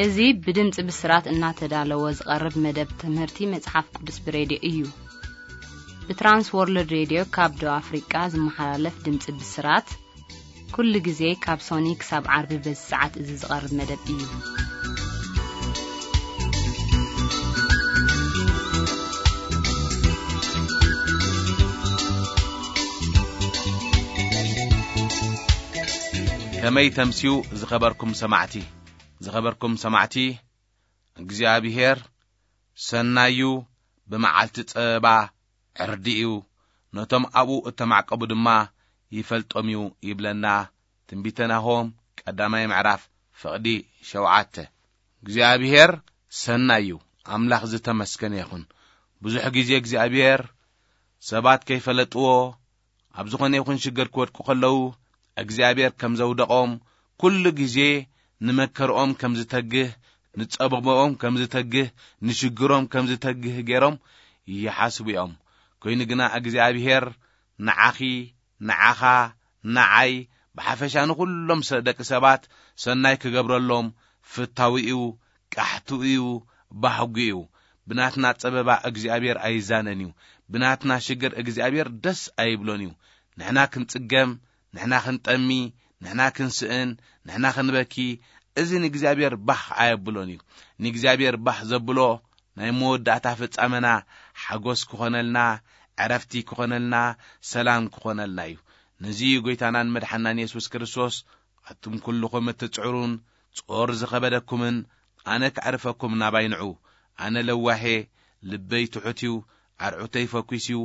እዚ ብድምፂ ብስራት እናተዳለወ ዝቐርብ መደብ ትምህርቲ መጽሓፍ ቅዱስ ብሬድዮ እዩ። ብትራንስ ወርልድ ሬድዮ ካብ ደቡብ ኣፍሪቃ ዝመሓላለፍ ድምፂ ብስራት፣ ኩሉ ግዜ ካብ ሶኒ ክሳብ ዓርቢ በዚ ሰዓት እዚ ዝቐርብ መደብ እዩ። ከመይ ተምስዩ ዝኸበርኩም ሰማዕቲ? ዝኸበርኩም ሰማዕቲ፣ እግዚኣብሔር ሰናዩ፣ ብመዓልቲ ጸበባ ዕርዲ እዩ፣ ነቶም ኣብኡ እተማዕቀቡ ድማ ይፈልጦም እዩ ይብለና ትንቢተ ናሆም ቀዳማይ ምዕራፍ ፍቕዲ ሸውዓተ። እግዚኣብሔር ሰናዩ፣ ኣምላኽ ዝተመስገነ ይኹን። ብዙሕ ግዜ እግዚኣብሔር ሰባት ከይፈለጥዎ ኣብ ዝኾነ ይኹን ሽግር ክወድቁ ከለዉ እግዚኣብሔር ከም ዘውደቖም፣ ኩሉ ግዜ ንመከርኦም ከም ዝተግህ፣ ንጸበባኦም ከም ዝተግህ፣ ንሽግሮም ከም ዝተግህ ገይሮም ይሓስቡ እዮም። ኮይኑ ግና እግዚኣብሔር ንዓኺ፣ ንዓኻ፣ ንዓይ፣ ብሓፈሻ ንኹሎም ሰ-፣ ደቂ ሰባት ሰናይ ክገብረሎም ፍታዊ እዩ፣ ቃሕቱ እዩ፣ ባህጉ እዩ። ብናትና ጸበባ እግዚኣብሔር ኣይዛነን እዩ። ብናትና ሽግር እግዚኣብሔር ደስ ኣይብሎን እዩ። ንሕና ክንጽገም፣ ንሕና ክንጠሚ፣ ንሕና ክንስእን፣ ንሕና ክንበኪ፣ እዚ ንእግዚኣብሔር ባህ ኣየብሎን እዩ። ንእግዚኣብሔር ባህ ዘብሎ ናይ መወዳእታ ፍጻመና ሓጎስ ክኾነልና፣ ዕረፍቲ ክኾነልና፣ ሰላም ክኾነልና እዩ። ነዚ እዩ ጎይታናን መድሓናን የሱስ ክርስቶስ፣ ኣቱም ኩልኹም እትጽዕሩን ጾር ዝኸበደኩምን፣ ኣነ ከዕርፈኩም ናባይ ንዑ። ኣነ ለዋሄ፣ ልበይ ትሑት እዩ፣ ኣርዑተይ ፈኲስ እዩ፣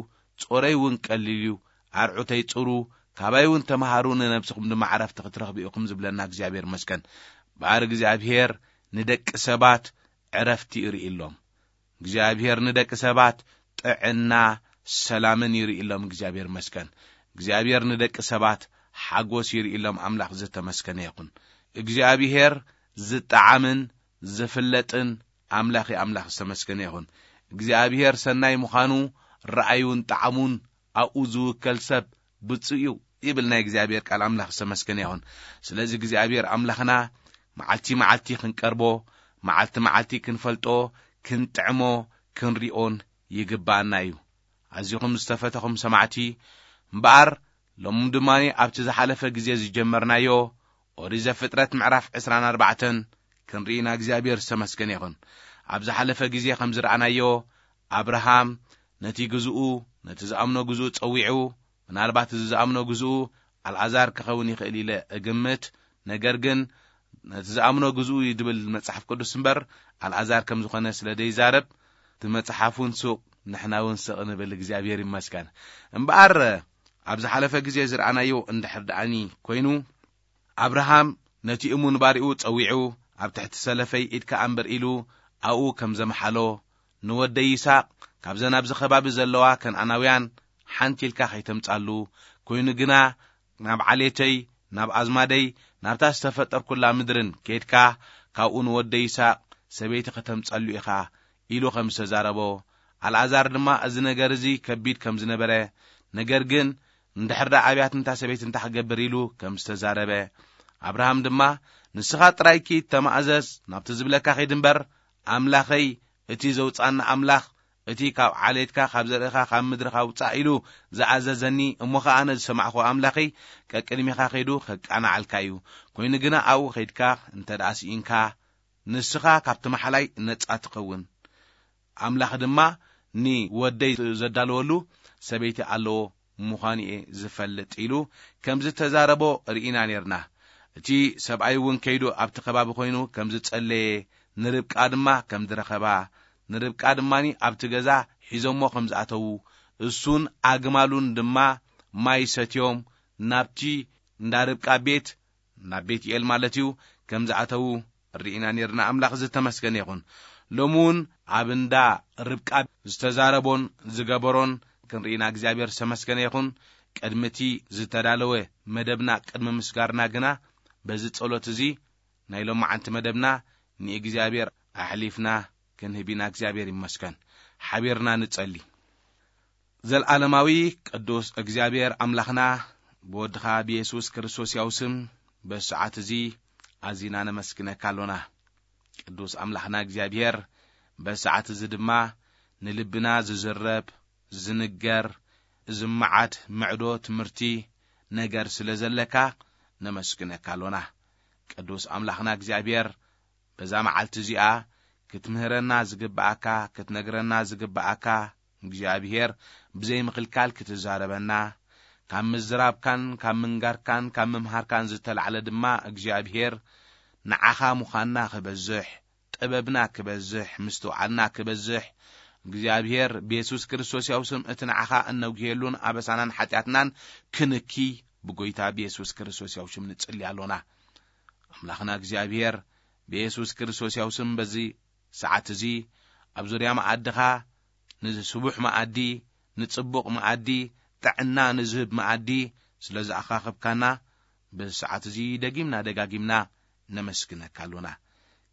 ጾረይ እውን ቀሊል እዩ። ኣርዑተይ ጽሩ፣ ካባይ እውን ተምሃሩ፣ ንነብስኹም ድማ ዕረፍቲ ክትረኽቡ ኢኹም ዝብለና እግዚኣብሔር ይመስገን። እምበኣር እግዚኣብሔር ንደቂ ሰባት ዕረፍቲ ይርእየሎም። እግዚኣብሔር ንደቂ ሰባት ጥዕና ሰላምን ይርእየሎም። እግዚኣብሔር ይመስገን። እግዚኣብሔር ንደቂ ሰባት ሓጎስ ይርእየሎም። ኣምላኽ ዝተመስገነ ይኹን። እግዚኣብሔር ዝጠዓምን ዝፍለጥን ኣምላኽ ኣምላኽ ዝተመስገነ ይኹን። እግዚኣብሔር ሰናይ ምዃኑ ረኣዩን ጠዓሙን ኣብኡ ዝውከል ሰብ ብፁዕ እዩ ይብል ናይ እግዚኣብሔር ቃል። ኣምላኽ ዝተመስገነ ይኹን። ስለዚ እግዚኣብሔር ኣምላኽና መዓልቲ መዓልቲ ክንቀርቦ፣ መዓልቲ መዓልቲ ክንፈልጦ፣ ክንጥዕሞ፣ ክንሪኦን ይግባኣና እዩ። ኣዚኹም ዝተፈተኹም ሰማዕቲ፣ እምበኣር ሎሚ ድማ ኣብቲ ዝሓለፈ ግዜ ዝጀመርናዮ ኦሪት ዘፍጥረት ምዕራፍ ዕስራን ኣርባዕተን ክንርኢ ኢና። እግዚኣብሔር ዝተመስገነ ይኹን። ኣብ ዝሓለፈ ግዜ ከም ዝረኣናዮ፣ ኣብርሃም ነቲ ግዝኡ፣ ነቲ ዝኣምኖ ግዝኡ ጸዊዑ፣ ምናልባት እዚ ዝኣምኖ ግዝኡ ኣልኣዛር ክኸውን ይኽእል ኢለ እግምት። ነገር ግን ነቲ ዝኣምኖ ግዝኡ እዩ ድብል መጽሓፍ ቅዱስ እምበር፣ ኣልኣዛር ከም ዝኾነ ስለ ዘይዛረብ፣ እቲ መጽሓፍ እውን ሱቕ፣ ንሕና እውን ስቕ ንብል። እግዚኣብሔር ይመስገን። እምበኣር፣ ኣብ ዝሓለፈ ግዜ ዝረኣናዮ እንድሕር ደኣኒ ኮይኑ፣ ኣብርሃም ነቲ እሙን ባሪኡ ጸዊዑ፣ ኣብ ትሕቲ ሰለፈይ ኢድካ ኣንብር ኢሉ ኣብኡ ከም ዘምሓሎ፣ ንወደይ ይስሐቅ ካብዘን ኣብዚ ከባቢ ዘለዋ ከነኣናውያን ሓንቲ ኢልካ ከይተምጻሉ፣ ኮይኑ ግና ናብ ዓሌተይ፣ ናብ ኣዝማደይ፣ ናብታ ዝተፈጠርኩላ ምድርን ኬድካ፣ ካብኡ ንወደይ ይስሐቅ ሰበይቲ ከተምጸሉ ኢኻ ኢሉ ከም ዝተዛረቦ፣ ኣልኣዛር ድማ እዚ ነገር እዚ ከቢድ ከም ዝነበረ፣ ነገር ግን እንድሕር ደኣ ኣብያት እንታ ሰበይቲ እንታይ ክገብር ኢሉ ከም ዝተዛረበ፣ ኣብርሃም ድማ ንስኻ ጥራይ ኪድ ተማእዘዝ፣ ናብቲ ዝብለካ ኺድ እምበር፣ ኣምላኸይ እቲ ዘውጻና ኣምላኽ፣ እቲ ካብ ዓሌትካ ካብ ዘርእኻ ካብ ምድርኻ ውጻእ ኢሉ ዝኣዘዘኒ፣ እሞ ኸኣ ኣነ ዝሰማዕኹ ኣምላኸይ ቀቅድሚኻ ኸይዱ ኸቃንዓልካ እዩ። ኮይኑ ግና ኣብኡ ኸይድካ እንተ ደኣ ስኢንካ፣ ንስኻ ካብቲ ማሕላይ ነጻ ትኸውን። ኣምላኽ ድማ ንወደይ ዘዳለወሉ ሰበይቲ ኣለዎ ምዃኑ እየ ዝፈልጥ ኢሉ ከም ዝተዛረቦ ርኢና ኔርና። እቲ ሰብኣይ እውን ከይዱ ኣብቲ ከባቢ ኮይኑ ከም ዝጸለየ፣ ንርብቃ ድማ ከም ዝረኸባ፣ ንርብቃ ድማ ኣብቲ ገዛ ሒዞሞ ከም ዝኣተዉ፣ እሱን ኣግማሉን ድማ ማይ ሰትዮም ናብቲ እንዳ ርብቃ ቤት፣ ናብ ቤትኤል ማለት እዩ፣ ከም ዝኣተዉ ርኢና ኔርና። ኣምላኽ ዝተመስገነ ይኹን። ሎሚ እውን ኣብ እንዳ ርብቃ ዝተዛረቦን ዝገበሮን ክንርኢና እግዚኣብሔር ዝተመስገነ ይኹን። ቅድሚ እቲ ዝተዳለወ መደብና፣ ቅድሚ ምስጋርና ግና፣ በዚ ጸሎት እዚ ናይ ሎማዓንቲ መደብና ንእግዚኣብሔር ኣሕሊፍና ክንህብ ኢና። እግዚኣብሔር ይመስገን። ሓቢርና ንጸሊ። ዘልዓለማዊ ቅዱስ እግዚኣብሔር ኣምላኽና፣ ብወድኻ ብየሱስ ክርስቶስ ያው ስም በዚ ሰዓት እዚ ኣዚና ነመስግነካ ኣሎና። ቅዱስ ኣምላኽና እግዚኣብሔር፣ በዚ ሰዓት እዚ ድማ ንልብና ዝዝረብ፣ ዝንገር፣ ዝመዓድ ምዕዶ ትምህርቲ ነገር ስለ ዘለካ ነመስግነካ ኣሎና። ቅዱስ ኣምላኽና እግዚኣብሔር፣ በዛ መዓልቲ እዚኣ ክትምህረና ዝግብኣካ፣ ክትነግረና ዝግብኣካ እግዚኣብሔር ብዘይ ምኽልካል ክትዛረበና፣ ካብ ምዝራብካን ካብ ምንጋርካን ካብ ምምሃርካን ዝተላዕለ ድማ እግዚኣብሔር ንዓኻ ምዃንና ክበዝሕ፣ ጥበብና ክበዝሕ፣ ምስትውዓልና ክበዝሕ፣ እግዚኣብሔር ብየሱስ ክርስቶስ ያው ስም እቲ ንዓኻ እነጉህየሉን ኣበሳናን ሓጢኣትናን ክንኪ ብጎይታ ብየሱስ ክርስቶስ ያው ሽም ንጽሊ ኣሎና። ኣምላኽና እግዚኣብሔር ብየሱስ ክርስቶስ ያው ስም በዚ ሰዓት እዚ ኣብ ዙርያ መኣድኻ ንስቡሕ መኣዲ፣ ንጽቡቕ መኣዲ፣ ጥዕና ንዝህብ መኣዲ ስለ ዝኣኻኸብካና፣ በዚ ሰዓት እዚ ደጊምና ደጋጊምና ነመስግነካ ኣሎና።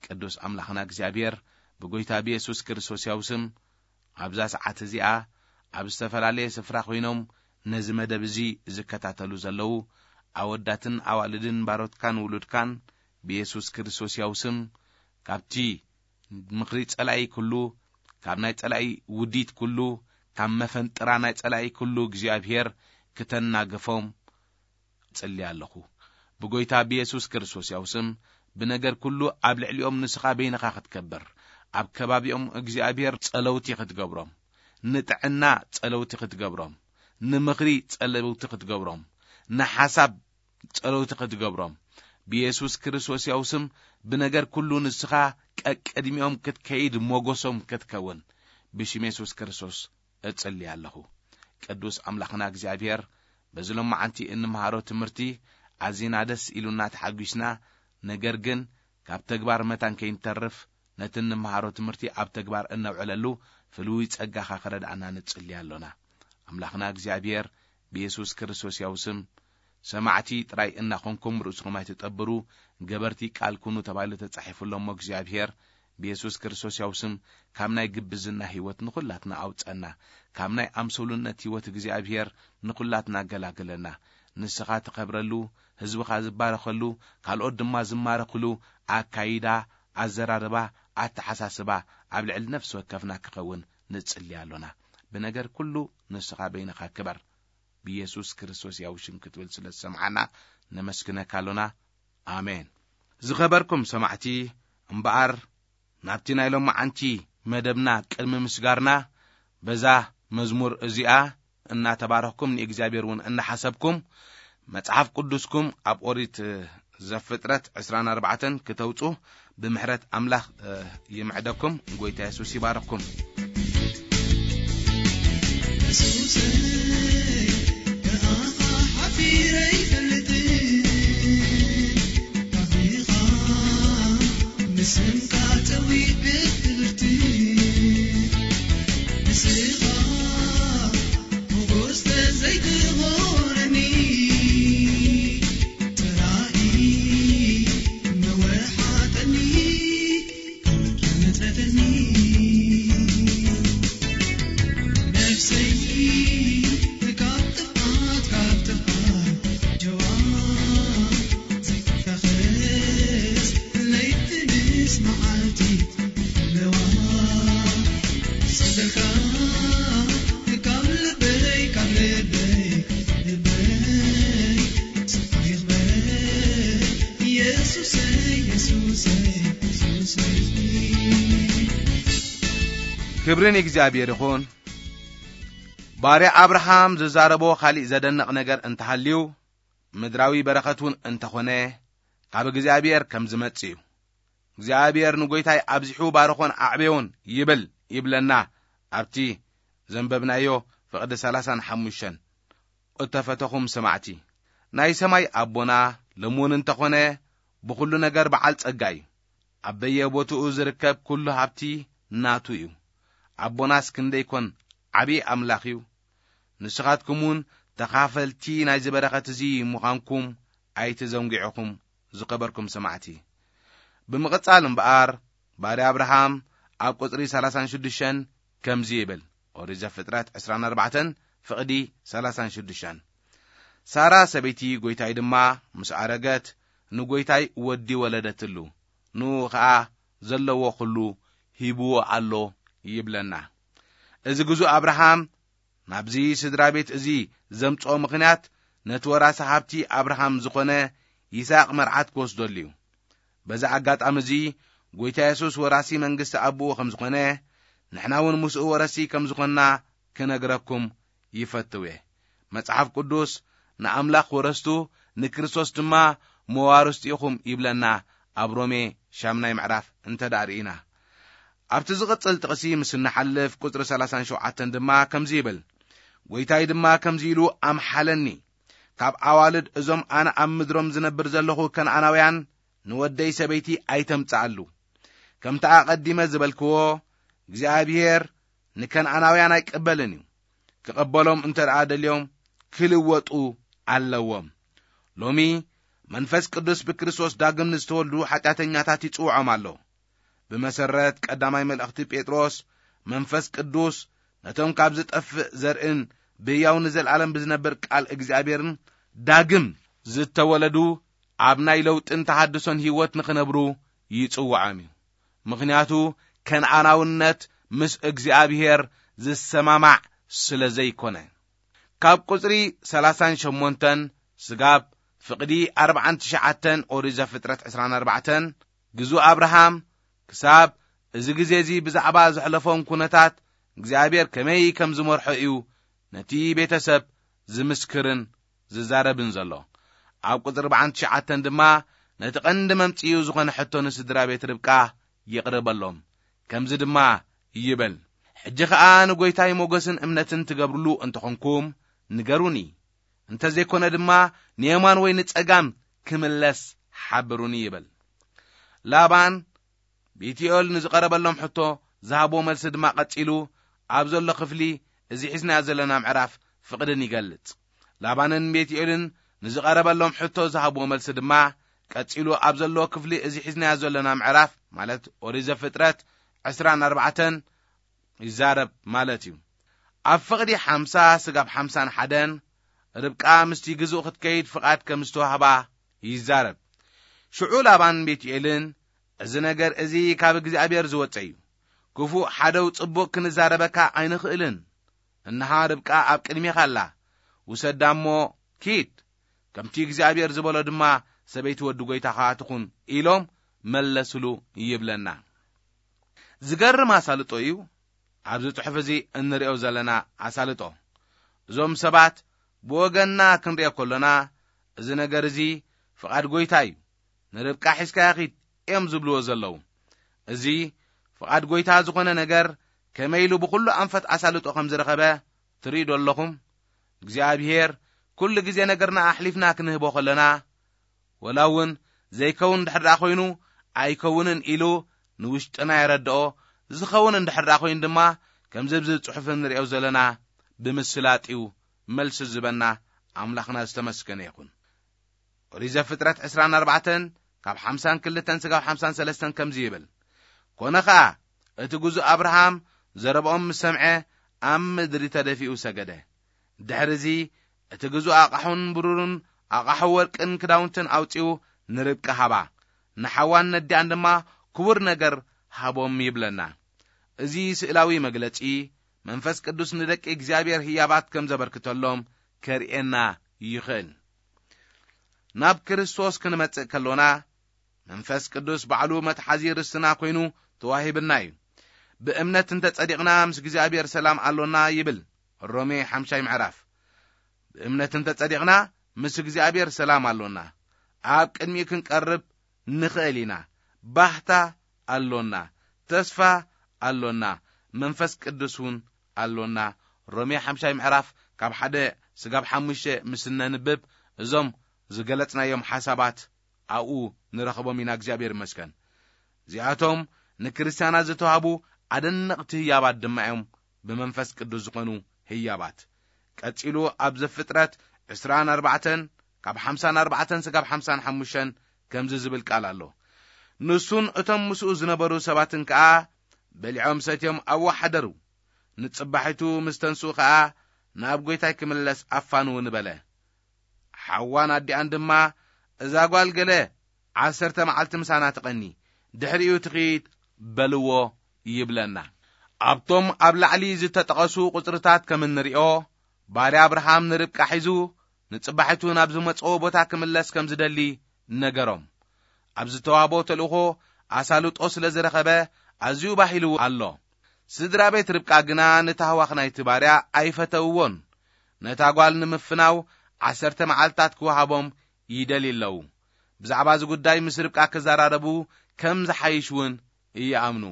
ቅዱስ ኣምላኽና እግዚኣብሔር፣ ብጎይታ ብየሱስ ክርስቶስ ያው ስም፣ ኣብዛ ሰዓት እዚኣ ኣብ ዝተፈላለየ ስፍራ ኮይኖም ነዚ መደብ እዚ ዝከታተሉ ዘለዉ ኣወዳትን ኣዋልድን ባሮትካን ውሉድካን ብየሱስ ክርስቶስ ያው ስም፣ ካብቲ ምኽሪ ጸላኢ ኩሉ፣ ካብ ናይ ጸላኢ ውዲት ኩሉ፣ ካብ መፈንጥራ ናይ ጸላኢ ኩሉ እግዚኣብሔር ክተናግፎም እጽሊ ኣለኹ። ብጎይታ ብየሱስ ክርስቶስ ያው ስም፣ ብነገር ኩሉ ኣብ ልዕሊኦም ንስኻ በይንኻ ክትከብር፣ ኣብ ከባቢኦም እግዚኣብሔር ጸለውቲ ክትገብሮም፣ ንጥዕና ጸለውቲ ክትገብሮም፣ ንምኽሪ ጸለውቲ ክትገብሮም፣ ንሓሳብ ጸለውቲ ክትገብሮም፣ ብየሱስ ክርስቶስ ያው ስም ብነገር ኩሉ ንስኻ ቀቅድሚኦም ክትከይድ ሞገሶም ክትከውን ብሽም የሱስ ክርስቶስ እጽሊ ኣለኹ። ቅዱስ ኣምላኽና እግዚኣብሔር፣ በዚ ሎማዓንቲ እንምሃሮ ትምህርቲ ኣዚና ደስ ኢሉና ተሓጒስና፣ ነገር ግን ካብ ተግባር መታን ከይንተርፍ ነቲ እንምሃሮ ትምህርቲ ኣብ ተግባር እነውዕለሉ ፍሉይ ጸጋኻ ክረድኣና ንጽሊ ኣሎና። ኣምላኽና እግዚኣብሔር ብየሱስ ክርስቶስ ያው ስም ሰማዕቲ ጥራይ እናኾንኩም ርእስኹም ኣይትጠብሩ፣ ገበርቲ ቃል ኩኑ ተባሂሉ ተጻሒፉ ኣሎ እሞ እግዚኣብሔር ብየሱስ ክርስቶስ ያው ስም ካብ ናይ ግብዝና ህይወት ንኹላትና ኣውጸና፣ ካብ ናይ ኣምሰሉነት ህይወት እግዚኣብሔር ንኹላትና ኣገላግለና። ንስኻ ትኸብረሉ፣ ህዝብኻ ዝባረኸሉ፣ ካልኦት ድማ ዝማረኽሉ ኣካይዳ፣ ኣዘራርባ፣ ኣተሓሳስባ ኣብ ልዕሊ ነፍሲ ወከፍና ክኸውን ንጽሊ ኣሎና። ብነገር ኩሉ ንስኻ በይንኻ ክበር። ብየሱስ ክርስቶስ ያው ሽም ክትብል ስለ ዝሰምዓና ነመስግነካ ኣሎና። ኣሜን። ዝኸበርኩም ሰማዕቲ፣ እምበኣር ናብቲ ናይ ሎማዓንቲ መደብና ቅድሚ ምስጋርና በዛ መዝሙር እዚኣ እናተባረኽኩም ንእግዚኣብሔር እውን እናሓሰብኩም መጽሓፍ ቅዱስኩም ኣብ ኦሪት ዘፍጥረት ዕስራን ኣርባዕተን ክተውጹ ብምሕረት ኣምላኽ፣ እ፣ ይምዕደኩም። ጎይታ የሱስ ይባረኽኩም። ክብሪ ንእግዚኣብሔር ይኹን። ባርያ ኣብርሃም ዝዛረቦ ካሊእ ዘደንቕ ነገር እንተሃልዩ፣ ምድራዊ በረኸት እውን እንተኾነ፣ ካብ እግዚኣብሔር ከም ዝመጽእ እዩ። እግዚኣብሔር ንጎይታይ ኣብዚሑ ባርኾን ኣዕበዮን ይብል ይብለና ኣብቲ ዘንበብናዮ ፍቕዲ ሰላሳን ሓሙሽተን። እተፈተኹም ሰማዕቲ፣ ናይ ሰማይ ኣቦና ለምውን እንተኾነ ብኹሉ ነገር በዓል ጸጋ እዩ። ኣብ በየቦትኡ ዝርከብ ኩሉ ሃብቲ ናቱ እዩ። ኣቦናስ ክንደይ ኮን ዓብዪ ኣምላኽ እዩ። ንስኻትኩም እውን ተኻፈልቲ ናይዚ በረኸት እዚ ምዃንኩም ኣይትዘንጊዑኹም፣ ዝኸበርኩም ሰማዕቲ። ብምቕጻል እምበኣር፣ ባርያ ኣብርሃም ኣብ ቁጽሪ ሰላሳን ሽዱሽተን ከምዚ ይብል፣ ኦሪት ዘፍጥረት ዕስራን ኣርባዕተን ፍቕዲ ሰላሳን ሽዱሽተን። ሳራ ሰበይቲ ጐይታይ ድማ ምስ ኣረገት፣ ንጐይታይ ወዲ ወለደትሉ። ንኡ ኸኣ ዘለዎ ኩሉ ሂብዎ ኣሎ ይብለና። እዚ ግዙእ ኣብርሃም ናብዚ ስድራ ቤት እዚ ዘምጽኦ ምኽንያት፣ ነቲ ወራሲ ሃብቲ ኣብርሃም ዝኾነ ይስሐቅ መርዓት ክወስደሉ እዩ። በዚ ኣጋጣሚ እዚ፣ ጎይታ የሱስ ወራሲ መንግስቲ ኣቦኡ ከም ዝኾነ፣ ንሕና እውን ምስኡ ወረሲ ከም ዝኾንና ክነግረኩም ይፈትው እየ። መጽሓፍ ቅዱስ፣ "ንኣምላኽ ወረስቱ፣ ንክርስቶስ ድማ መዋርስቲ ኢኹም" ይብለና፣ ኣብ ሮሜ ሻምናይ ምዕራፍ እንተ ደኣ ርኢና። ኣብቲ ዝቕጽል ጥቕሲ ምስ እንሓልፍ፣ ቁጽሪ ሰላሳን ሸውዓተን ድማ ከምዚ ይብል፣ "ጎይታይ ድማ ከምዚ ኢሉ ኣምሓለኒ፣ ካብ ኣዋልድ እዞም ኣነ ኣብ ምድሮም ዝነብር ዘለኹ ከነኣናውያን ንወደይ ሰበይቲ ኣይተምጽኣሉ። ከምቲ ኣቐዲመ ዝበልክዎ፣ እግዚኣብሔር ንከነኣናውያን ኣይቀበልን እዩ። ክቐበሎም እንተ ደኣ ደልዮም፣ ክልወጡ ኣለዎም።" ሎሚ መንፈስ ቅዱስ ብክርስቶስ ዳግም ንዝተወልዱ ሓጢኣተኛታት ይጽውዖም ኣሎ። ብመሰረት ቀዳማይ መልእኽቲ ጴጥሮስ፣ መንፈስ ቅዱስ ነቶም ካብ ዝጠፍእ ዘርእን ብህያው ንዘለኣለም ብዝነብር ቃል እግዚኣብሔርን ዳግም ዝተወለዱ፣ ኣብ ናይ ለውጥን ተሃድሶን ህይወት ንኽነብሩ ይጽውዖም እዩ። ምኽንያቱ፣ ከነኣናውነት ምስ እግዚኣብሔር ዝሰማማዕ ስለ ዘይኮነ። ካብ ቁጽሪ ሰላሳን ሸሞንተን ስጋብ ፍቕዲ ኣርባዓን ትሽዓተን ኦሪት ዘፍጥረት ዕስራን ኣርባዕተን፣ ግዙእ ኣብርሃም ክሳብ እዚ ግዜ እዚ ብዛዕባ ዘሕለፎም ኩነታት እግዚኣብሔር ከመይ ከም ዝመርሖ እዩ ነቲ ቤተሰብ ዝምስክርን ዝዛረብን ዘሎ። ኣብ ቁጽሪ ኣርባዓን ትሽዓተን ድማ ነቲ ቀንዲ መምጽኢኡ ዝኾነ ሕቶ ንስድራ ቤት ርብቃ የቕርበሎም። ከምዚ ድማ ይብል፣ "ሕጂ ኸኣ ንጎይታይ ሞገስን እምነትን ትገብርሉ እንተኾንኩም ንገሩኒ፣ እንተዘይኮነ ድማ ንየማን ወይ ንጸጋም ክምለስ ሓብሩኒ" ይብል። ላባን ቤትኤል ንዝቐረበሎም ሕቶ ዝሃብዎ መልሲ ድማ ቀጺሉ ኣብ ዘሎ ክፍሊ እዚ ሒዝናዮ ዘለና ምዕራፍ ፍቕድን ይገልጽ። ላባንን ቤትኤልን ንዝቐረበሎም ሕቶ ዝሃብዎ መልሲ ድማ ቀጺሉ ኣብ ዘለዎ ክፍሊ እዚ ሒዝናዮ ዘለና ምዕራፍ፣ ማለት ኦሪት ዘፍጥረት ዕስራን ኣርባዕተን፣ ይዛረብ ማለት እዩ። ኣብ ፍቕዲ ሓምሳ ስጋብ ሓምሳን ሓደን፣ ርብቃ ምስቲ ግዙእ ክትከይድ ፍቓድ ከም ዝተዋህባ ይዛረብ። ሽዑ ላባን ቤትኤልን፣ "እዚ ነገር እዚ ካብ እግዚኣብሔር ዝወጸ እዩ። ክፉእ ሓደው ጽቡቕ ክንዛረበካ ኣይንኽእልን። እንሃ ርብቃ ኣብ ቅድሜኻ ኣላ። ውሰዳ እሞ ኪድ፣ ከምቲ እግዚኣብሔር ዝበሎ ድማ ሰበይቲ ወዲ ጎይታኻ ትኹን" ኢሎም መለስሉ ይብለና። ዝገርም ኣሳልጦ እዩ ኣብዚ ጽሑፍ እዚ እንርእዮ ዘለና ኣሳልጦ። እዞም ሰባት ብወገንና ክንርእዮ ከሎና፣ "እዚ ነገር እዚ ፍቓድ ጎይታ እዩ፣ ንርብቃ ሒዝካያ ኺድ" እዮም ዝብልዎ ዘለዉ። እዚ ፍቓድ ጎይታ ዝኾነ ነገር ከመይ ኢሉ ብኹሉ ኣንፈት ኣሳልጦ ከም ዝረኸበ ትርእዩ ዶ ኣለኹም? እግዚኣብሔር ኩሉ ግዜ ነገርና ኣሕሊፍና ክንህቦ ከለና፣ ወላ እውን ዘይከውን እንድሕር ደኣ ኮይኑ፣ ኣይከውንን ኢሉ ንውሽጥና የረድኦ። ዝኸውን እንድሕር ደኣ ኮይኑ ድማ፣ ከምዚ ኣብዚ ጽሑፍ እንርእዮ ዘለና፣ ብምስላጥ እዩ መልሲ ዝህበና። ኣምላኽና ዝተመስገነ ይኹን። ኦሪት ዘፍጥረት ዕስራን ኣርባዕተን ካብ ሓምሳን ክልተን ስጋብ ሓምሳን ሰለስተን ከምዚ ይብል፣ "ኮነ ኸኣ፣ እቲ ግዙእ ኣብርሃም ዘረብኦም ምስ ሰምዐ፣ ኣብ ምድሪ ተደፊኡ ሰገደ። ድሕርዚ፣ እቲ ግዙእ ኣቓሑን ብሩርን ኣቓሑ ወርቅን ክዳውንትን ኣውጺኡ ንርብቃ ሃባ። ንሓዋን ነዲኣን ድማ ክቡር ነገር ሃቦም" ይብለና። እዚ ስእላዊ መግለጺ፣ መንፈስ ቅዱስ ንደቂ እግዚኣብሔር ህያባት ከም ዘበርክተሎም ከርእየና ይኽእል። ናብ ክርስቶስ ክንመጽእ ከሎና፣ መንፈስ ቅዱስ ባዕሉ መትሓዚ ርስትና ኮይኑ ተዋሂብና እዩ። "ብእምነት እንተ ጸዲቕና፣ ምስ እግዚኣብሔር ሰላም ኣሎና" ይብል ሮሜ ሓምሻይ ምዕራፍ። ብእምነት እንተ ጸዲቕና፣ ምስ እግዚኣብሔር ሰላም ኣሎና። ኣብ ቅድሚኡ ክንቀርብ ንኽእል ኢና። ባህታ ኣሎና። ተስፋ ኣሎና። መንፈስ ቅዱስ እውን ኣሎና። ሮሜ ሓምሻይ ምዕራፍ ካብ ሓደ ስጋብ ሓሙሽተ ምስ እነንብብ፣ እዞም ዝገለጽናዮም ሓሳባት ኣብኡ ንረኽቦም ኢና። እግዚኣብሔር ይመስገን። እዚኣቶም ንክርስትያናት ዝተዋህቡ ኣደነቕቲ ህያባት ድማ እዮም፣ ብመንፈስ ቅዱስ ዝኾኑ ህያባት። ቀጺሉ ኣብ ዘፍጥረት ዕስራን ኣርባዕተን ካብ ሓምሳን ኣርባዕተን ስጋብ ሓምሳን ሓሙሽተን ከምዚ ዝብል ቃል ኣሎ። "ንሱን እቶም ምስኡ ዝነበሩ ሰባትን ከኣ በሊዖም ሰትዮም ኣብኡ ሓደሩ። ንጽባሒቱ ምስ ተንስኡ ከኣ ናብ ጐይታይ ክምለስ ኣፋንውኒ" በለ። ሓዋን ኣዲኣን ድማ፣ "እዛ ጓል ገለ ዓሰርተ መዓልቲ ምሳና ትቐኒ፣ ድሕሪኡ ትኺድ" በልዎ ይብለና። ኣብቶም ኣብ ላዕሊ ዝተጠቐሱ ቁጽርታት ከም እንሪኦ፣ ባርያ ኣብርሃም ንርብቃ ሒዙ ንጽባሒቱ ናብ ዝመጽኦ ቦታ ክምለስ ከም ዝደሊ ነገሮም። ኣብ ዝተዋህቦ ተልእኾ ኣሳልጦ ስለ ዝረኸበ ኣዝዩ ባሂሉ ኣሎ። ስድራ ቤት ርብቃ ግና ንታህዋኽ ናይቲ ባርያ ኣይፈተውዎን። ነታ ጓል ንምፍናው ዓሰርተ መዓልታት ክወሃቦም ይደልዩ ኣለዉ። ብዛዕባ እዚ ጉዳይ ምስ ርብቃ ክዘራረቡ ከም ዝሓይሽ እውን ይኣምኑ።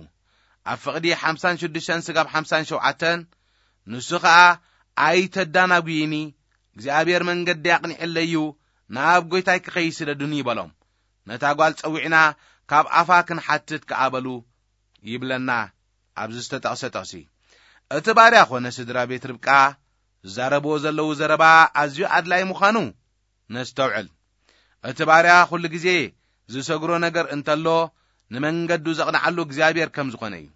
ኣብ ፍቕዲ ሓምሳን ሽዱሽተን ስጋብ ሓምሳን ሸውዓተን፣ ንሱ ኸኣ ኣይተዳናጉይኒ፣ እግዚኣብሔር መንገዲ ኣቕኒዕለይ እዩ፣ ናብ ጐይታይ ክኸይድ ስደዱኒ በሎም። ነታ ጓል ጸዊዕና ካብ ኣፋ ክንሓትት ከኣ በሉ ይብለና ኣብዚ ዝተጠቕሰ ጥቕሲ። እቲ ባርያ ኾነ ስድራ ቤት ርብቃ ዝዛረብዎ ዘለዉ ዘረባ ኣዝዩ ኣድላይ ምዃኑ ነስተውዕል። እቲ ባርያ ኩሉ ግዜ ዝሰግሮ ነገር እንተሎ፣ ንመንገዱ ዘቕንዓሉ እግዚኣብሔር ከም ዝኾነ እዩ።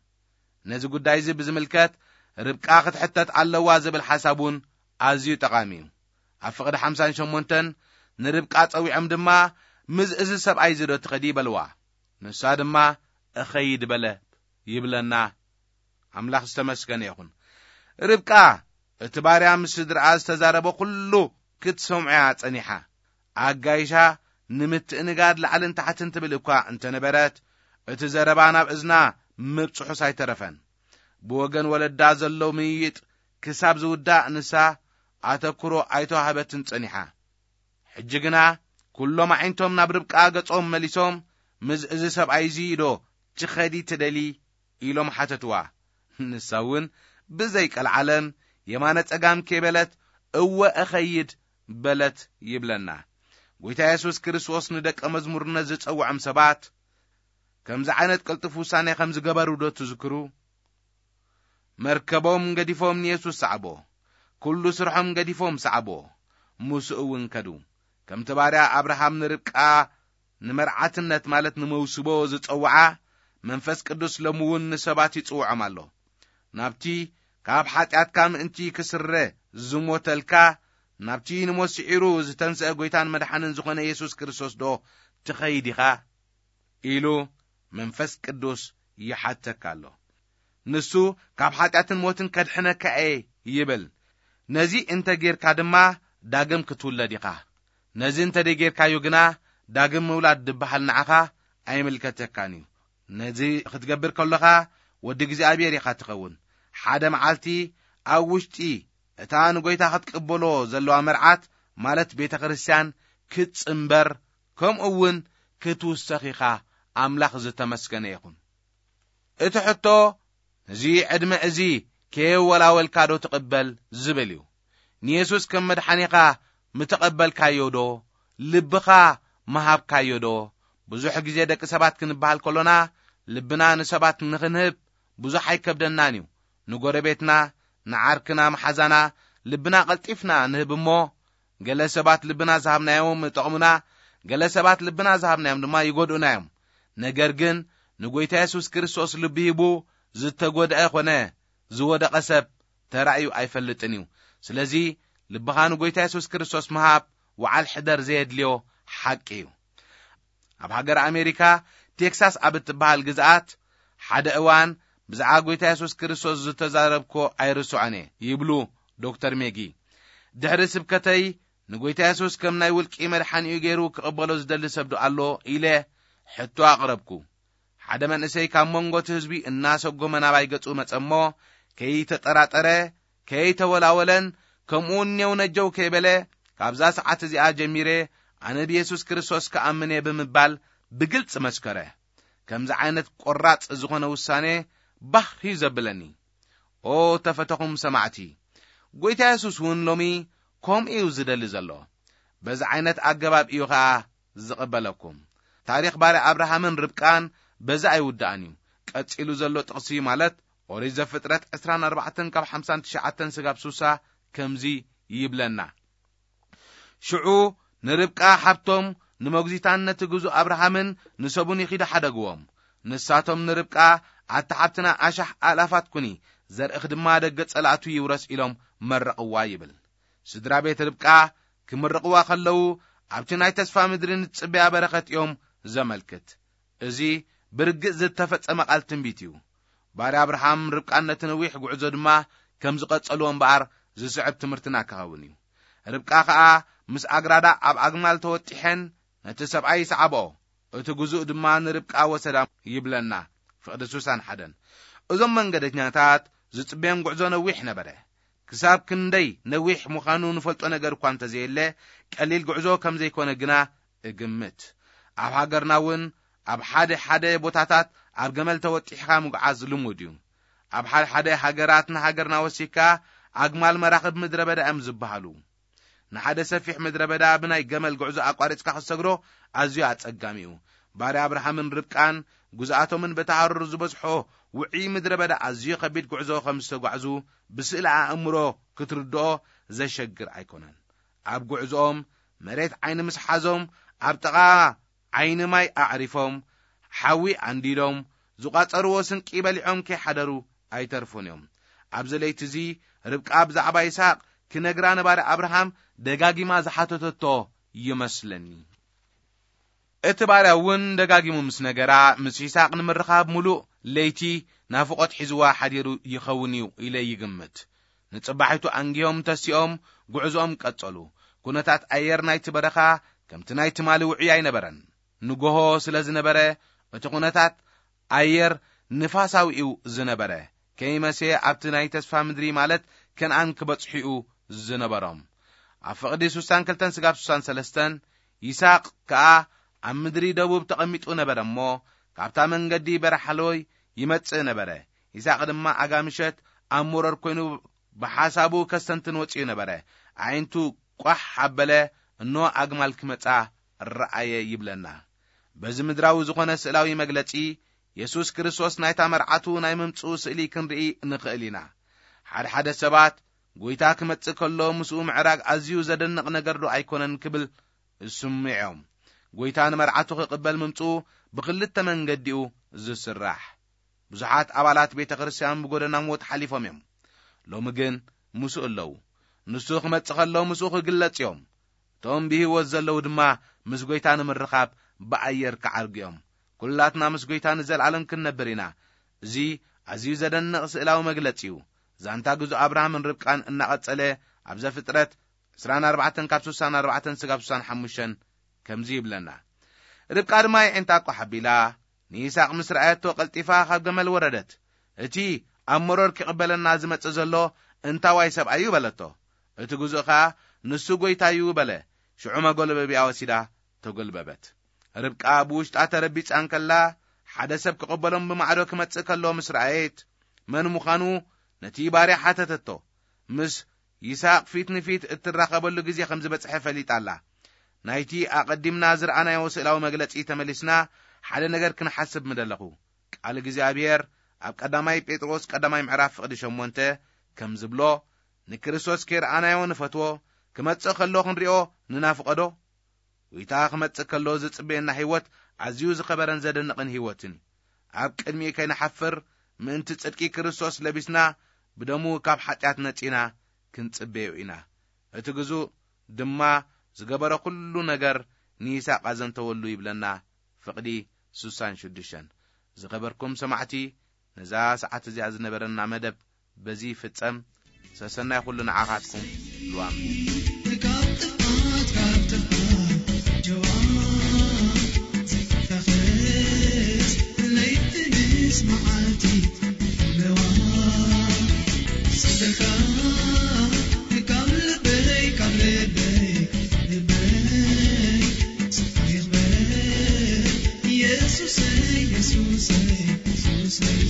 ነዚ ጉዳይ እዚ ብዝምልከት ርብቃ ክትሕተት ኣለዋ ዝብል ሓሳብ እውን ኣዝዩ ጠቓሚ እዩ። ኣብ ፍቕዲ ሓምሳን ሸሞንተን ንርብቃ ጸዊዖም ድማ፣ "ምስ እዚ ሰብኣይ እዚ ዶ ትኸዲ?" በልዋ። ንሳ ድማ፣ "እኸይድ" በለት ይብለና። ኣምላኽ ዝተመስገነ ይኹን። ርብቃ እቲ ባርያ ምስ ስድርኣ ዝተዛረቦ ኩሉ ክትሰምዖ እያ ጸኒሓ። ኣጋይሻ ንምትእንጋድ ላዕልን ታሕትን ትብል እኳ እንተነበረት፣ እቲ ዘረባ ናብ እዝና ምብጽሑስ ኣይተረፈን። ብወገን ወለዳ ዘሎ ምይይጥ ክሳብ ዝውዳእ ንሳ ኣተኩሮ ኣይተዋህበትን ጸኒሓ። ሕጂ ግና ኩሎም ኣዒንቶም ናብ ርብቃ ገጾም መሊሶም፣ "ምስ እዚ ሰብኣይ እዚ ዶ ትኸዲ ትደሊ?" ኢሎም ሓተትዋ። ንሳ እውን ብዘይ ቀልዓለም የማነ ጸጋም ከይበለት፣ "እወ እኸይድ" በለት ይብለና። ጐይታ የሱስ ክርስቶስ ንደቀ መዝሙርነት ዝጸውዖም ሰባት ከምዚ ዓይነት ቅልጡፍ ውሳኔ ከም ዝገበሩ ዶ ትዝክሩ? መርከቦም ገዲፎም ንየሱስ ሰዓቦ። ኩሉ ስርሖም ገዲፎም ሰዓቦ። ምስኡ እውን ከዱ። ከምቲ ባርያ ኣብርሃም ንርብቃ ንመርዓትነት ማለት ንመውስቦ ዝጸውዓ፣ መንፈስ ቅዱስ ሎሚ እውን ንሰባት ይጽውዖም ኣሎ። ናብቲ ካብ ሓጢኣትካ ምእንቲ ክስረ ዝሞተልካ፣ ናብቲ ንሞት ስዒሩ ዝተንስአ ጐይታን መድሓንን ዝኾነ የሱስ ክርስቶስ ዶ ትኸይድ ኢኻ? ኢሉ መንፈስ ቅዱስ ይሓተካ ኣሎ። ንሱ ካብ ሓጢኣትን ሞትን ከድሕነካ እየ ይብል። ነዚ እንተ ጌርካ ድማ ዳግም ክትውለድ ኢኻ። ነዚ እንተ ደይጌርካዮ ግና ዳግም ምውላድ ድበሃል ንዓኻ ኣይምልከተካን እዩ። ነዚ ክትገብር ከለኻ ወዲ እግዚኣብሔር ኢኻ ትኸውን። ሓደ መዓልቲ ኣብ ውሽጢ እታ ንጎይታ ክትቅበሎ ዘለዋ መርዓት ማለት ቤተ ክርስቲያን ክትጽንበር ከምኡ እውን ክትውሰኽ ኢኻ። ኣምላኽ ዝተመስገነ ይኹን። እቲ ሕቶ ነዚ ዕድመ እዚ ከየወላወልካ ዶ ትቕበል ዝብል እዩ። ንየሱስ ከም መድሓኒኻ ምተቐበልካዮ ዶ? ልብኻ ምሃብካዮ ዶ? ብዙሕ ግዜ ደቂ ሰባት ክንበሃል ከሎና ልብና ንሰባት ንኽንህብ ብዙሕ ኣይከብደናን እዩ። ንጎረቤትና፣ ንዓርክና፣ መሓዛና ልብና ቀልጢፍና ንህብ እሞ፣ ገለ ሰባት ልብና ዝሃብናዮም ይጠቕሙና፣ ገለ ሰባት ልብና ዝሃብናዮም ድማ ይጎድኡና እዮም። ነገር ግን ንጎይታ የሱስ ክርስቶስ ልቢ ሂቡ ዝተጎድአ ኮነ ዝወደቐ ሰብ ተራእዩ ኣይፈልጥን እዩ። ስለዚ ልብኻ ንጎይታ የሱስ ክርስቶስ ምሃብ ወዓል ሕደር ዘየድልዮ ሓቂ እዩ። ኣብ ሃገር ኣሜሪካ ቴክሳስ ኣብ እትበሃል ግዝኣት ሓደ እዋን ብዛዕባ ጎይታ የሱስ ክርስቶስ ዝተዛረብኮ ኣይርስዖን እየ ይብሉ ዶክተር ሜጊ። ድሕሪ ስብከተይ ንጎይታ የሱስ ከም ናይ ውልቂ መድሓኒኡ ገይሩ ክቕበሎ ዝደሊ ሰብ ዶ ኣሎ ኢለ ሕቶ ኣቕረብኩ። ሓደ መንእሰይ ካብ መንጎ እቲ ህዝቢ እናሰጎመ ናባይ ገጹ መጸ እሞ ከይተጠራጠረ ከይተወላወለን ከምኡ እኔው ነጀው ከይበለ፣ "ካብዛ ሰዓት እዚኣ ጀሚረ ኣነ ብየሱስ ክርስቶስ ክኣምን እየ" ብምባል ብግልጺ መስከረ። ከምዚ ዓይነት ቆራጽ ዝኾነ ውሳኔ ባህ እዩ ዘብለኒ። ኦ ተፈተኹም ሰማዕቲ፣ ጎይታ የሱስ እውን ሎሚ ከምኡ እዩ ዝደሊ ዘሎ። በዚ ዓይነት ኣገባብ እዩ ኸኣ ዝቕበለኩም። ታሪኽ ባርያ ኣብርሃምን ርብቃን በዚ ኣይውዳእን እዩ። ቀጺሉ ዘሎ ጥቕሲ ማለት ኦሪት ዘፍጥረት ዕስራን ኣርባዕተን ካብ ሓምሳን ትሽዓተን ስጋብ ሱሳ ከምዚ ይብለና። ሽዑ ንርብቃ ሓብቶም ንመጉዚታን ነቲ ግዙእ ኣብርሃምን ንሰቡን ይኺዱ ሓደግዎም። ንሳቶም ንርብቃ፣ "ኣታ ሓብትና ኣሻሕ ኣእላፋት ኩኒ፣ ዘርእኽ ድማ ደገ ጸላእቱ ይውረስ" ኢሎም መረቕዋ ይብል። ስድራ ቤት ርብቃ ክምርቕዋ ከለዉ ኣብቲ ናይ ተስፋ ምድሪ ንጽበያ በረኸት እዮም ዘመልክት። እዚ ብርግጽ ዝተፈጸመ ቃል ትንቢት እዩ። ባርያ ኣብርሃም ርብቃን ነቲ ነዊሕ ጉዕዞ ድማ ከም ዝቐጸልዎ እምበኣር ዝስዕብ ትምህርትና ክኸውን እዩ። ርብቃ ከኣ ምስ ኣግራዳ ኣብ ኣግማል ተወጢሐን ነቲ ሰብኣይ ይስዓብኦ፣ እቲ ግዙእ ድማ ንርብቃ ወሰዳ ይብለና። ፍቕዲ ሱሳን ሓደን። እዞም መንገደኛታት ዝጽበዮም ጉዕዞ ነዊሕ ነበረ። ክሳብ ክንደይ ነዊሕ ምዃኑ ንፈልጦ ነገር እኳ እንተዘየለ፣ ቀሊል ጉዕዞ ከም ዘይኮነ ግና እግምት። ኣብ ሃገርና እውን ኣብ ሓደ ሓደ ቦታታት ኣብ ገመል ተወጢሕካ ምጉዓዝ ልሙድ እዩ። ኣብ ሓደ ሓደ ሃገራት ንሃገርና ወሲካ ኣግማል መራኽብ ምድረ በዳ እዮም ዝበሃሉ። ንሓደ ሰፊሕ ምድረ በዳ ብናይ ገመል ጉዕዞ ኣቋሪጽካ ክትሰግሮ ኣዝዩ ኣጸጋሚ እዩ። ባርያ ኣብርሃምን ርብቃን ግዝኣቶምን በቲ ሃሩር ዝበዝሖ ውዑይ ምድረ በዳ ኣዝዩ ከቢድ ጉዕዞ ከም ዝተጓዕዙ ብስእሊ ኣእምሮ ክትርድኦ ዘሸግር ኣይኮነን። ኣብ ጉዕዞኦም መሬት ዓይኒ ምስ ሓዞም ኣብ ጥቓ ዓይኒ ማይ ኣዕሪፎም፣ ሓዊ ኣንዲዶም፣ ዝቋጸርዎ ስንቂ በሊዖም ከይሓደሩ ኣይተርፉን እዮም። ኣብዚ ለይቲ እዚ ርብቃ ብዛዕባ ይስሐቅ ክነግራ ንባርያ ኣብርሃም ደጋጊማ ዝሓተተቶ ይመስለኒ። እቲ ባርያ እውን ደጋጊሙ ምስ ነገራ፣ ምስ ይስሐቅ ንምርኻብ ምሉእ ለይቲ ናፍቖት ሒዝዋ ሓዲሩ ይኸውን እዩ ኢለ ይግምት። ንጽባሒቱ ኣንጊሆም ተሲኦም ጉዕዞኦም ቀጸሉ። ኩነታት ኣየር ናይቲ በረኻ ከምቲ ናይ ትማሊ ውዑይ ኣይነበረን። ንጎሆ ስለ ዝነበረ፣ እቲ ኩነታት ኣየር ንፋሳዊ እዩ ዝነበረ። ከይመሰየ ኣብቲ ናይ ተስፋ ምድሪ ማለት ከነኣን ክበጽሑ እዩ ዝነበሮም። ኣብ ፍቕዲ ሱሳን ክልተን ስጋብ ሱሳን ሰለስተን፣ ይስሐቅ ከኣ ኣብ ምድሪ ደቡብ ተቐሚጡ ነበረ እሞ፣ ካብታ መንገዲ በረሓሎይ ይመጽእ ነበረ። ይስሐቅ ድማ ኣጋ ምሸት ኣብ መሮር ኮይኑ ብሓሳቡ ከስተንትን ወጺኡ ነበረ። ኣዒንቱ ቋሕ ኣበለ፣ እኖ ኣግማል ክመጻ ረኣየ ይብለና። በዚ ምድራዊ ዝኾነ ስእላዊ መግለጺ፣ የሱስ ክርስቶስ ናይታ መርዓቱ ናይ ምምጽኡ ስእሊ ክንርኢ ንኽእል ኢና። ሓደ ሓደ ሰባት፣ "ጎይታ ክመጽእ ከሎ ምስኡ ምዕራግ ኣዝዩ ዘደንቕ ነገር ዶ ኣይኮነን?" ክብል ስምዖም። ጎይታ ንመርዓቱ ክቕበል ምምጽኡ ብኽልተ መንገዲኡ ዝስራሕ። ብዙሓት ኣባላት ቤተ ክርስቲያን ብጎደና ሞት ሓሊፎም እዮም። ሎሚ ግን ምስኡ ኣለዉ። ንሱ ክመጽእ ከሎ ምስኡ ክግለጽ እዮም። እቶም ብህይወት ዘለዉ ድማ ምስ ጎይታ ንምርኻብ ብኣየር ክዓርጉ እዮም። ኩላትና ምስ ጎይታ ንዘለኣለም ክንነብር ኢና። እዚ ኣዝዩ ዘደንቕ ስእላዊ መግለጺ እዩ። ዛንታ ግዙእ ኣብርሃምን ርብቃን እናቐጸለ ኣብ ዘፍጥረት ዕስራን ኣርባዕተን ካብ ስሳን ኣርባዕተን ስጋብ ስሳን ሓሙሽተን ከምዚ ይብለና። ርብቃ ድማ የዒንታ ቋሕ ኣቢላ ንይስሐቅ ምስ ረኣየቶ ቀልጢፋ ካብ ገመል ወረደት። "እቲ ኣብ መሮር ክቕበለና ዝመጽእ ዘሎ እንታዋይ ሰብኣይ እዩ?" በለቶ። እቲ ግዙእ ኸኣ "ንሱ ጐይታ እዩ" በለ። ሽዑ መጎልበቢያ ወሲዳ ተጎልበበት። ርብቃ ብውሽጣ ተረቢጻ እንከላ፣ ሓደ ሰብ ክቕበሎም ብማዕዶ ክመጽእ ከሎ ምስ ረኣየት፣ መን ምዃኑ ነቲ ባርያ ሓተተቶ። ምስ ይስሐቅ ፊት ንፊት እትራኸበሉ ግዜ ከም ዝበጽሐ ፈሊጣ ኣላ። ናይቲ ኣቐዲምና ዝረኣናዮ ስእላዊ መግለጺ ተመሊስና ሓደ ነገር ክንሓስብ ምደለኹ። ቃል እግዚኣብሔር ኣብ ቀዳማይ ጴጥሮስ ቀዳማይ ምዕራፍ ፍቕዲ ሸሞንተ ከም ዝብሎ፣ "ንክርስቶስ ከይረኣናዮ ንፈትዎ፣ ክመጽእ ከሎ ክንሪኦ ንናፍቐዶ?" ጎይታ ክመጽእ ከሎ ዝጽበየና ህይወት ኣዝዩ ዝኸበረን ዘደንቕን ህይወትን እዩ። ኣብ ቅድሚኡ ከይንሓፍር ምእንቲ ጽድቂ ክርስቶስ ለቢስና፣ ብደሙ ካብ ሓጢኣት ነጺና ክንጽበዮ ኢና። እቲ ግዙእ ድማ ዝገበረ ኩሉ ነገር ንይስሐቅ ኣዘንተወሉ ይብለና ፍቕዲ ስሳን ሽዱሽተን። ዝኸበርኩም ሰማዕቲ፣ ነዛ ሰዓት እዚኣ ዝነበረና መደብ በዚ ይፍጸም። ሰሰናይ ኩሉ ንዓኻትኩም። ልዋም። ካብ ጥፋት፣ ካብ ጥፋት ጀዋ ዘይተኸስ ለይቲ ምስ መዓልቲ ለዋ። ስደካ ካብ ልበይ፣ ካብ ልበይ፣ ልበይ ስፍራ ይኽበር። ኢየሱሰይ፣ ኢየሱሰይ፣ ኢየሱሰይ።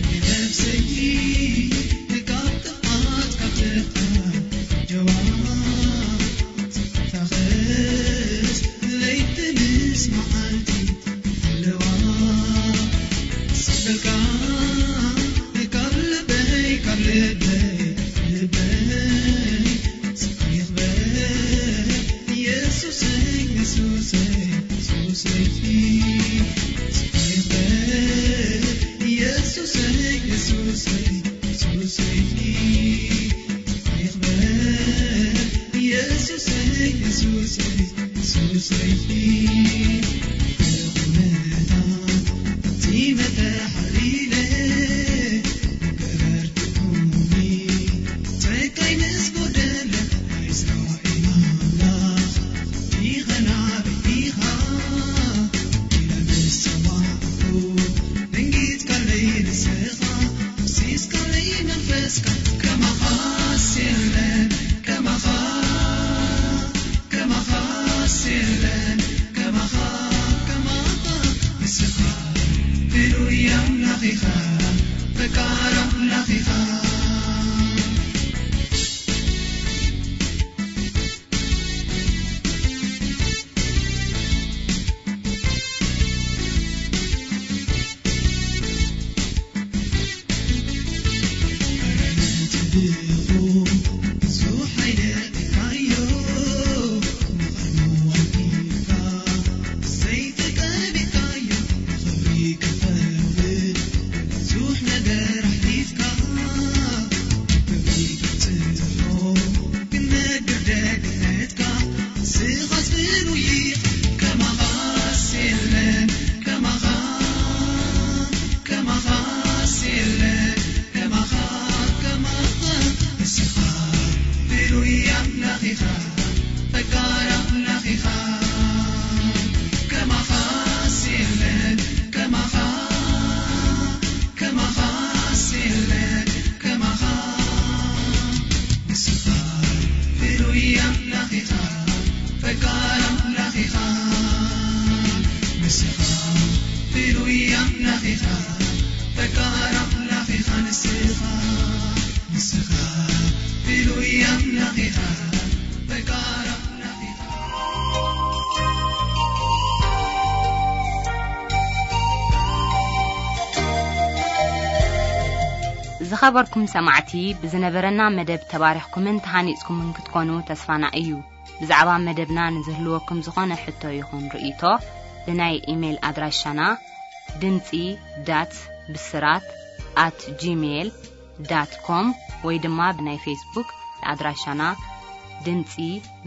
ንነፍሰይ ካብ ጥፍኣት ካብ ጥፍኣት ጀዋ ተኸስ ለይቲ ምስ መዓልቲ ኣለዋ። ስበልካ ካብ ልበይ ካብ ልበይ ልበይ ስብሐ ይኽበር ኢየሱሰይ ኢየሱሰይ ኢየሱሰይ ስብሐ ይኽበር ኢየሱሰይ ኢየሱሰይ ኢየሱሰይ ስብሐ ይኽበር ኢየሱሰይ ኢየሱሰይ ኢየሱሰይ ብቑመታ እቲ መተሓሊለ ገበርትኩኒ ጸጋይ ምስ ጎደለ ናይ እስራኤል ኣምላኽ ኢኻ ናበይ ኢኻ ኢለ ምስ ጸዋዕኩ ደንጊጽካለይ ንስኻ ኣፍሲስካለይ መንፈስካ ከማኻስ የለን ከማኻ ከማኻስ የለን ከማኻ ከማኻ ንስኻ ፍሉይ ኣምላኽ ኢኻ ፈቃር ኣምላኽ ኢኻ። ዝኸበርኩም ሰማዕቲ፣ ብዝነበረና መደብ ተባሪኽኩምን ተሃኒጽኩምን ክትኮኑ ተስፋና እዩ። ብዛዕባ መደብና ንዝህልወኩም ዝኾነ ሕቶ ይኹን ርእይቶ፣ ብናይ ኢሜይል ኣድራሻና ድምጺ ዳት ብስራት ኣት ጂሜይል ዳት ኮም ወይ ድማ ብናይ ፌስቡክ ኣድራሻና ድምጺ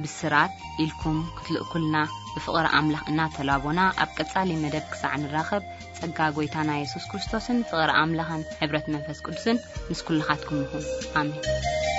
ብስራት ኢልኩም ክትልእኩልና ብፍቕሪ ኣምላኽ እናተላቦና፣ ኣብ ቀጻሊ መደብ ክሳዕ ንራኸብ፣ ጸጋ ጐይታና የሱስ ክርስቶስን ፍቕሪ ኣምላኽን ሕብረት መንፈስ ቅዱስን ምስ ኩልኻትኩም ይኹን። ኣሜን።